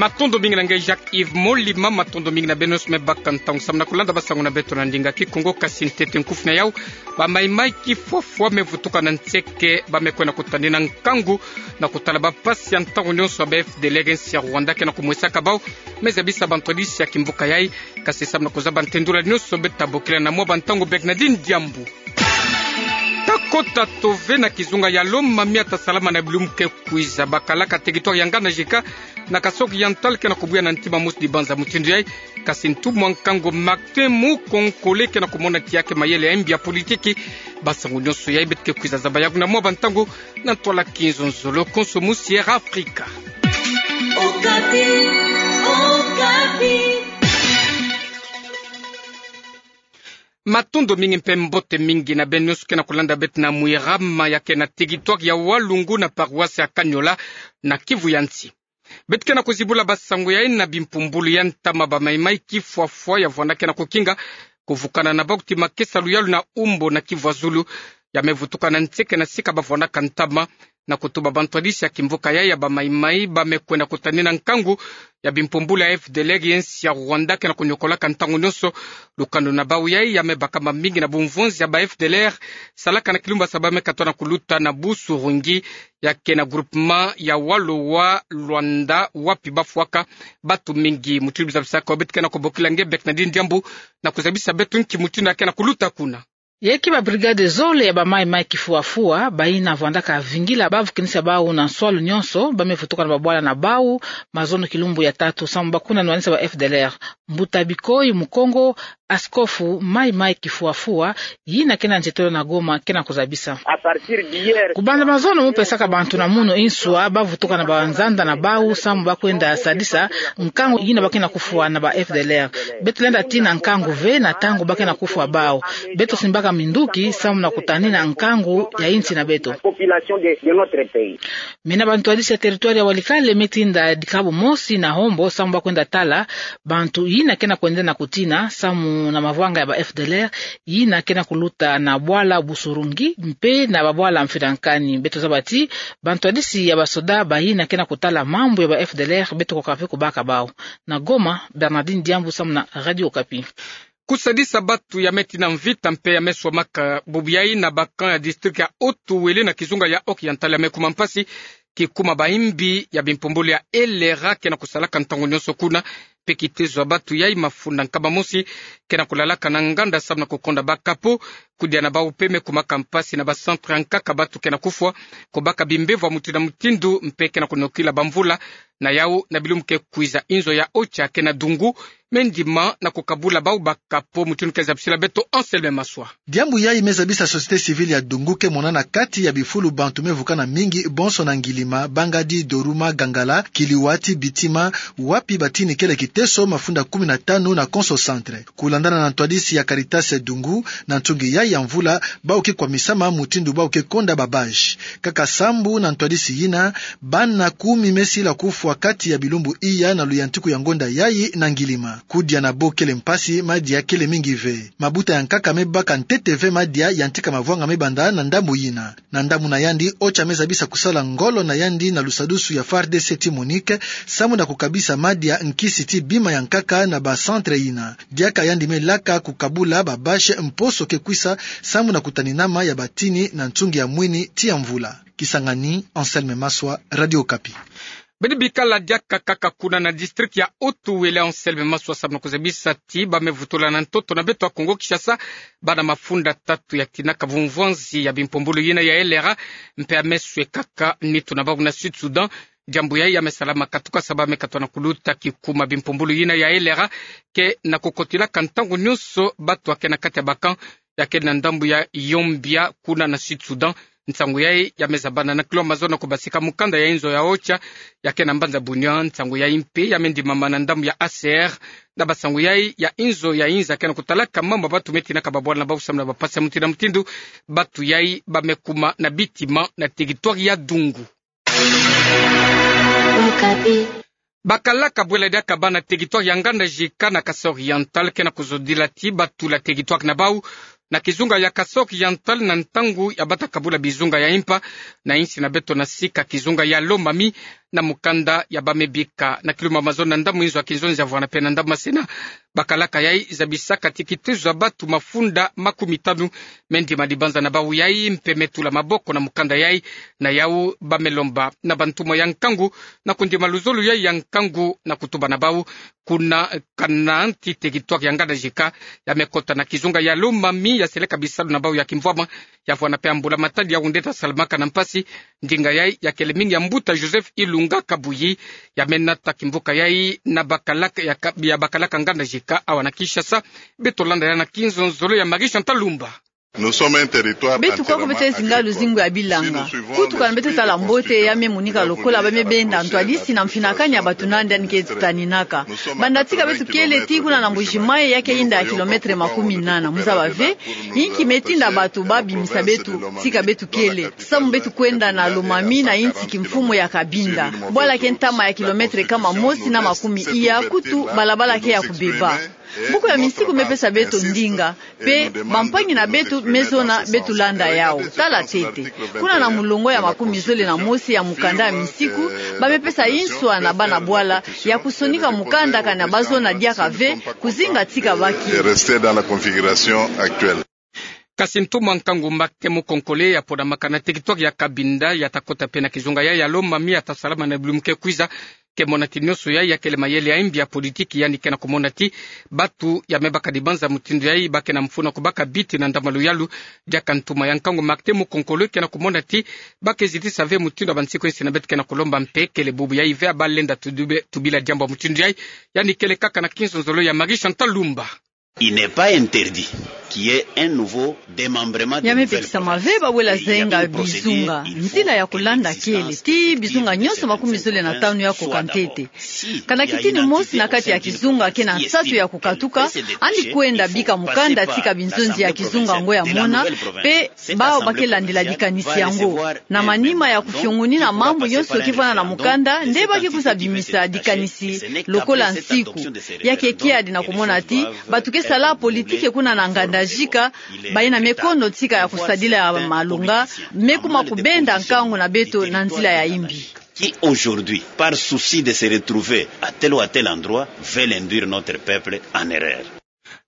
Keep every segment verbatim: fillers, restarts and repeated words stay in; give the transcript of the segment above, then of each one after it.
Matondo mingi na nge Jacques Yves Molima, matondo mingi na beno nyonso me baka ntangu samu na kulanda basangu na beto na ndinga Kikongo. Kasi ntete nkufi na yau, bamaimai kifwafwa me vutuka na nseke ba me kwenda kutanina nkangu na kutala bampasi ya ntangu nyonso ya ba F D L R nsi ya Rwanda ke na kumwesaka bau, me zabisa bantwadisi ya kimvuka yai. Kasi samu na kuzaba ntendula nyonso, beto ta bokila na mwa bantangu Bernardine Diambu. Ta kota tove na kizunga ya Lomami ya ta salama na bilumbu ke kwiza. Bakalaka territoire ya Nganda Jika na Kasaï Oriental ke na kubuya na ntima mosi dibanza mutindu yai. Kasi ntumwa nkangu Martin Mukonkole ke na kumona tiya ke mayele ya mbi ya politiki. Basangu nyonso yai beto ke kwiza zaba yau na mwa bantangu na ntwala kinzonzolo konso mu Sierra Africa. Okapi, Okapi. Matondo mingi mpe mbote mingi na beno nyonso ke na kulanda beto na Mwirama ya ke na territoire ya Walungu na paroisse ya Kaniola na Kivu ya Nsi. Beto ke na kuzibula basangu yai na bimpumbulu ya ntama bamaimai kifwafwa ya vwanda ke na kukinga kuvukana na bau ti makesa luyalu na umbo na Kivu ya Zulu, ya me vutuka na nseke na sika ba vwandaka ntama, na kutuba bantwadisi ya kimvuka yai ya bamaimai ba me kwenda kutanina nkangu ya bimpumbulu ya F D L R ya nsi ya Rwanda ke na kunyokolaka ntangu nyonso lukanu na bau yai. Ya me baka mamingi na bumvonzi ya ba F D L R salaka na kilumbu ya saba me katoa na kuluta na Busurungi ya ke na groupement ya Walo wa Luanda, wapi ba fwaka batu mingi. Mutindu zabisaka beto ke na kubokila nge Bernardine Diambu na kuzabisa beto nki mutindu ya ke na kuluta kuna. Yai ke ba brigade zole ya bamaimai kifwafwa bayina vwandaka vingila ba vukinisa bau na nswalu nyonso, ba me vutuka na babwala na bau mazono kilumbu ya tatu samu ba kuna nwanisa ba F D L R. Mbuta Bikoyi Mukongo, askofu maimai kifwafwa yina ke na nzietolo na Goma, ke na kuzabisa: Kubanda mazono mu pesaka bantu na munu inswa ba vutuka na banzanda na bau samu ba kwenda sadisa nkangu yina ba ke na kufwa na ba F D L R. Beto lenda tina nkangu ve na ntangu ba ke na kufwa bau. Beto simbaka minduki samu na kutanina nkangu ya insi na beto. Mina bantwadisi ya territoire ya Walikale me tinda dikabu mosi na hombo samu ba kwenda tala bantu yina ke na kwenda na kutina samu na mavwanga ya ba F D L R yina ke na kuluta na bwala Busurungi mpe na babwala Mfirankani. Beto zaba ti bantwadisi ya basoda bayina ke na kutala mambu ya ba F D L R beto koka mpe kubaka bau. Na Goma, Bernardine Diambu samu na Radio Okapi. Kusadisa batu ya me tina mvita mpe ya me swamaka bubu yai na ba camp ya district ya Haut-Uele na kizunga ya Oriental ya me kuma mpasi, kikuma bayimbi ya bimpumbulu ya L R A ke na kusalaka ntangu nyonso kuna, mpe kitezo ya batu yai mafunda nkama mosi ke na kulalaka na nganda samu na kukonda ba capot. Kudia na bau mpe me kumaka mpasi na ba centre ya nkaka batu ke na kufwa, kubaka bimbevo ya mutindu na mutindu mpe ke na kunokila bamvula. Na yau, na bilumbu ke kwiza, inzo ya OCHA ke na Dungu me ndima na kukabula bau ba capot, mutindu ke zabisila beto Anselme Maswa. Diambu yai me zabisa société civile ya Dungu ke mona na kati ya bifulu bantu me vukana mingi bonso na Ngilima, Bangadi, Doruma, Gangala, Kiliwati, Bitima, wapi batini kele kiteso mafunda kumi na tanu na konso centre. Kulandana na ntwadisi ya Caritas Dungu, na ntungi yai ya mvula, bau ke kwamisama mutindu bau ke konda ba bâche. Kaka sambu na ntwadisi yina, bana kumi me sila kufwa kati ya bilumbu iya na luyantiku ya ngonda yai na Ngilima. Kudia na bo kele mpasi, madia kele mingi ve. Mabuta ya nkaka me baka ntete ve madia yantika mavwanga me banda na ndambu yina. Na ndambu na yandi, OCHA me zabisa kusala ngolo na yandi na lusadusu ya FARDC ti MONUC, samu na kukabisa madia, nkisi ti bima ya nkaka na ba centre yina. Diaka yandi me laka kukabula ba bâche mposo ke kwisa, samu na kutaninama ya batini na ntungi ya mwini ti ya mvula. Kisangani, Anselme Maswa, Radio Okapi. Beno bikala diaka kaka kuna na district ya Haut-Uele, Anselme Maswa, samu na kuzabisa ti ba me vutula na ntoto na beto ya Kongo-Kinshasa bana mafunda tatu ya tinaka bumvwanzi ya bimpumbulu yina ya L R A, mpe ya me swekaka nitu na bau na Sud-Soudan. Diambu yai ya me salama katuka samu ba me katoa na kuluta kikuma bimpumbulu yina ya L R A ke na kukotilaka ntangu nyonso batu ya ke na kati ya ba camp ya ke na ndambu ya Yombia kuna na Sud-Soudan. Nsangu yai ya me zabana na kilo mazono kubasika mukanda ya inzo ya OCHA ya ke na mbanza Bunia. Nsangu yai mpe ya me ndimama na ndambu ya H C R. Na basangu yai ya inzo ya inza ke na kutalaka mambu ya batu me tinaka babwala na bau samu na bampasi ya mutindu na mutindu, batu yai ba me kuma na bitima na territoire ya Dungu. Okapi. Bakalaka bwela diaka bana territoire ya Nganda Jika na Kasaï Oriental ke na kuzodila ti batula territoire na bau na kizunga ya Kasaï Oriental na ntangu ya bata kabula bizunga ya impa na insi na beto na sika kizunga ya Lomami, na mukanda ya bamebika na kiluma mazono na ndamu inzo ya kinzonzi ya vwanda mpe na ndamu masina. Bakalaka yai zabisaka ti kitezo ya batu mafunda makumi tanu me ndima dibanza na bau yai mpe me tula maboko na mukanda yai, na yau bamelomba na bantumwa ya nkangu na kundima luzolo yai ya nkangu na kutuba na bau kuna kana ntite kituka ya nganda jika ya mekota na kizunga ya Lomami ya seleka bisalu na bau ya kimvwama. Ya vwanda mpe mbula matadi ya wunde ta salamaka na mpasi. Ndinga yai ya kele mingi ya mbuta Joseph Ilunga Kabuyi, ya menata kimvuka yai na bakalaka ya ka-, ya bakalaka nganda jika awa na Kinshasa. Beto landa yai na kinzonzolo ya Marie Chantal Lumba. Beto kwa ko beto zinga luzingu ya bilanga. Kutu kana beto tala mbote ya me monika lokola bamebenda ntwadisi na mfinakani ya batu nandi yandi ke taninaka. Banda tika beto kele tii kuna na Mbuji-Mayi ya ke yinda ya kilomètre makumi nana. Muzaba ve, inki metinda batu babimisa beto tika beto kele. Samu beto kwenda na Lomami na insi kimfumu ya Cabinda. Bwala ke ntama ya kilomètre kama mosi na makumi iya, kutu balabala ke ya kubeba. Buku ya minsiku mepesa beto ndinga, mpe bampangi na beto mezona beto landa yau. Tala ntete. Kuna na mulongo ya makumi zole na mosi ya mukanda ya minsiku, bamepesa inswa na bana bwala ya kusonika mukanda kana bazona diaka ve, kuzinga tika baki. Kasi ntumwa nkangu Martin Mukonkole ya ponamaka na teritware ya Cabinda, ya ta kota mpe na kizunga yai ya Lomami, ya ta salama na bilumbu ke kwiza. Ke mona ti nionso yai ya kele mayele ya imbi ya politiki, yandi ke na kumona ti batu ya mebaka dibanza mutindu yai ba ke na mfunu ya kubaka biti na ndama luyalu. Diaka ntumwa ya nkangu Martin Mukonkole ke na kumona ti ba ke zitisa ve mutindu ya bansiku insi na beto ke na kulomba mpe kele bubu yai ve ya balenda tubi-, tubila diambu ya mutindu yai. Yandi kele kaka na kinzonzolo ya Marie Chantal Lumba. Il n'est pas interdit qu'il y ait un nouveau démembrement de nouvelle province. Ya mepekisama ve ba wela zenga bizunga. Nzila ya kulanda kele ti bizunga nionso makumi zole na tanu ya koka ntete. Kana kitini mosi na kati ya kizunga ke na nsatu ya kukatuka, yandi kwenda bika mukanda tika binzonzi ya kizunga ngo ya mona, mpe bawu ba ke landila dikanisi yango. Na manima ya kufiongonina mambu yonso ke vwanda na mukanda, nde ba ke kwiza bimisa dikanisi lokola nsiku. Ya ke kiadi na kumona ti batu ke sala politiki kuna na nganda jika bayina mekono tika ya kusadila ya malonga, me kuma kubenda nkangu na beto na nzila ya imbi. Qui aujourd'hui, par souci de se retrouver à tel ou à tel endroit, veulent induire notre peuple en erreur.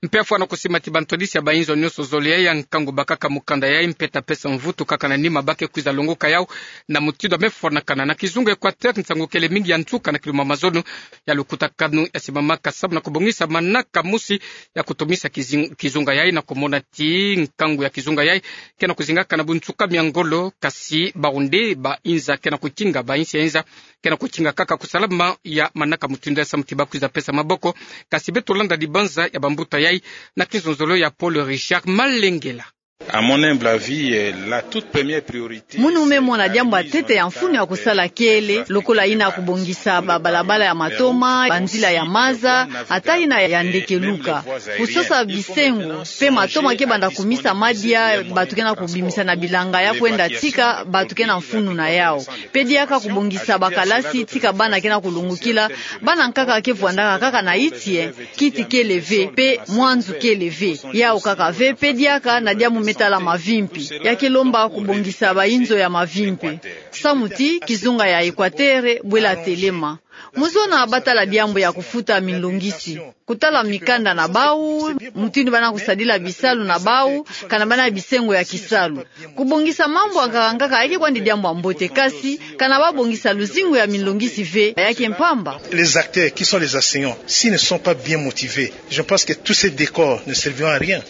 Mpe ya fwana kusima ti bantwadisi ya bainzo nionso zole yai ya nkangu bakaka mukanda yai mpe ta pesa mvutu kaka na nima ba ke kwiza longoka yau na mutindu ya mefwanakana. Na kizunga Equateur, nsangu kele mingi ya nsuka na kiluma mazono ya lukutakanu ya simamaka samu na kubongisa manaka mosi ya kutumisa kizing-, kizunga yai, na kumona ti nkangu ya kizunga yai ke na kuzingaka na bunsuka mia ngolo, kasi bawu nde ba inza ke na kukinga, ba insi ya inza ke na kukinga kaka kusalama ya manaka mutindu yai samu ti ba kwiza pesa maboko. Kasi beto landa dibanza ya bambuta yai na kinzonzolo ya Paul Richard Malengela. À mon humble avis, euh, la toute première priorité, munu me mona diambu ya ntete ya mfunu ya kusala kele, lokola yina kubongisa babalabala ya matoma, banzila ya maza, ata yina ya ndekeluka. Kusosa bisengo, mpe matoma ke banda kumisa madia batu ke na kubimisa na bilanga ya kwenda tika batu ke na mfunu na yau. Mpe diaka kubongisa bakalasi tika bana ke na kulungukila, bana nkaka ke vwandaka kaka na iti e, kiti kele ve, mpe mwanzu kele ve. Yau kaka ve, mpe diaka na diambu me tala mavimpi. Ya ke lomba kubongisa bainzo ya mavimpi. Samu ti kizunga ya Equateur bwela telema. Muzona ba tala diambu ya kufuta minlongisi. Kutala mikanda na bau, mutindu bana kusadila bisalu na bau, kana bana bisengo ya kisalu. Kubongisa mambu ya nkaka nkaka ya ke kwandi diambu ya mbote, kasi kana ba bongisa luzingu ya minlongisi ve, ya ke mpamba. Les acteurs qui sont les enseignants, s'ils ne sont pas bien motivés, je pense que tous ces décors ne serviront à rien.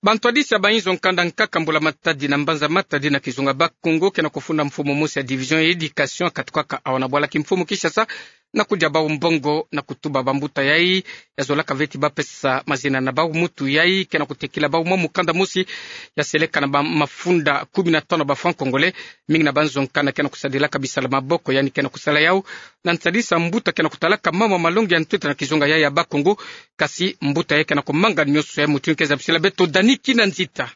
Bantwadisi ya bainzo nkanda nkaka mbula matadi na mbanza matadi na kizunga Bas-Congo ke na kufunda mfumu mosi ya division ya éducation katukaka awa na bwala kimfumu Kinshasa, na kudia bau mbongo na kutuba bambuta yai ya zolaka ve ti ba pesa mazina na bau mutu yai ke na kutekila bau mwa mukanda mosi ya seleka na ba mafunda kumi na tano ba francs congolais. Mingi na banzo nkanda ke na kusadilaka bisalu maboko, yandi ke na kusala yau na ntadisi ya mbuta ke na kutalaka mama malongi ya ntwita na kizunga yai ya Bas-Congo. Kasi mbuta yai ke na kumanga nionso yai, mutindu ke zabisila beto Dani Kinanzita.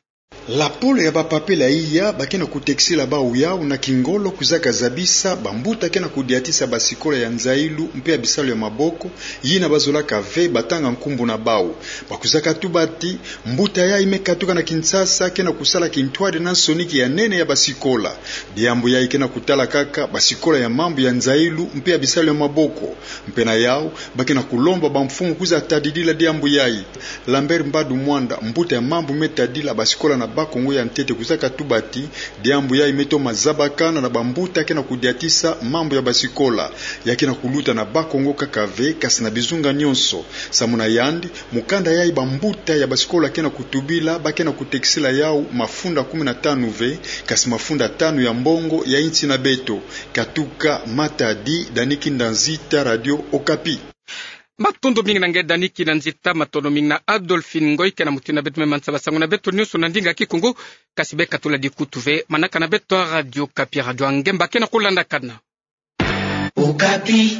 Lapolo ya bapapela iya ba ke na kutekisila bau yau na kingolo kuzaka zabisa bambuta ke na kudiatisa basikola ya nzailu mpe ya bisalu ya maboko, yina bazolaka ve batanga nkumbu na bau. Ba kuzaka tuba ti, mbuta yai me katuka na Kinshasa ke na kusala kintwadi na nsoniki ya nene ya basikola. Diambu yai ke na kutala kaka basikola ya mambu ya nzailu mpe ya bisalu ya maboko. Mpe na yau, ba ke na kulomba bamfumu kwiza tadidila diambu yai. Lambert Mbadu Mwanda, mbuta ya mambu me tadila basikola na Bas-Congo ya ntete kuzaka tuba ti, diambu yai me toma zabakana na bambuta ke na kudiatisa mambu ya basikola. Ya ke na kuluta na Bas-Congo kaka ve, kasi na bizunga nyonso. Samu na yandi, mukanda yai bambuta ya basikola ke na kutubila, ba ke na kutekisila yau mafunda kumi na tanu ve, kasi mafunda tanu ya mbongo ya insi na beto. Katuka Matadi, Daniel Kinda Nzita, Radio Okapi. Matondo mingi na nge Daniel Kinda Nzita, matondo mingi na Adolphine Ngoy ke na mutini na beto me mansa basango na beto nyonso na ndinga Kikongo, kasi beka tula dikutu ve manaka na beto Radio Okapi, radio ya nge mba ke na kulandakana. Okapi.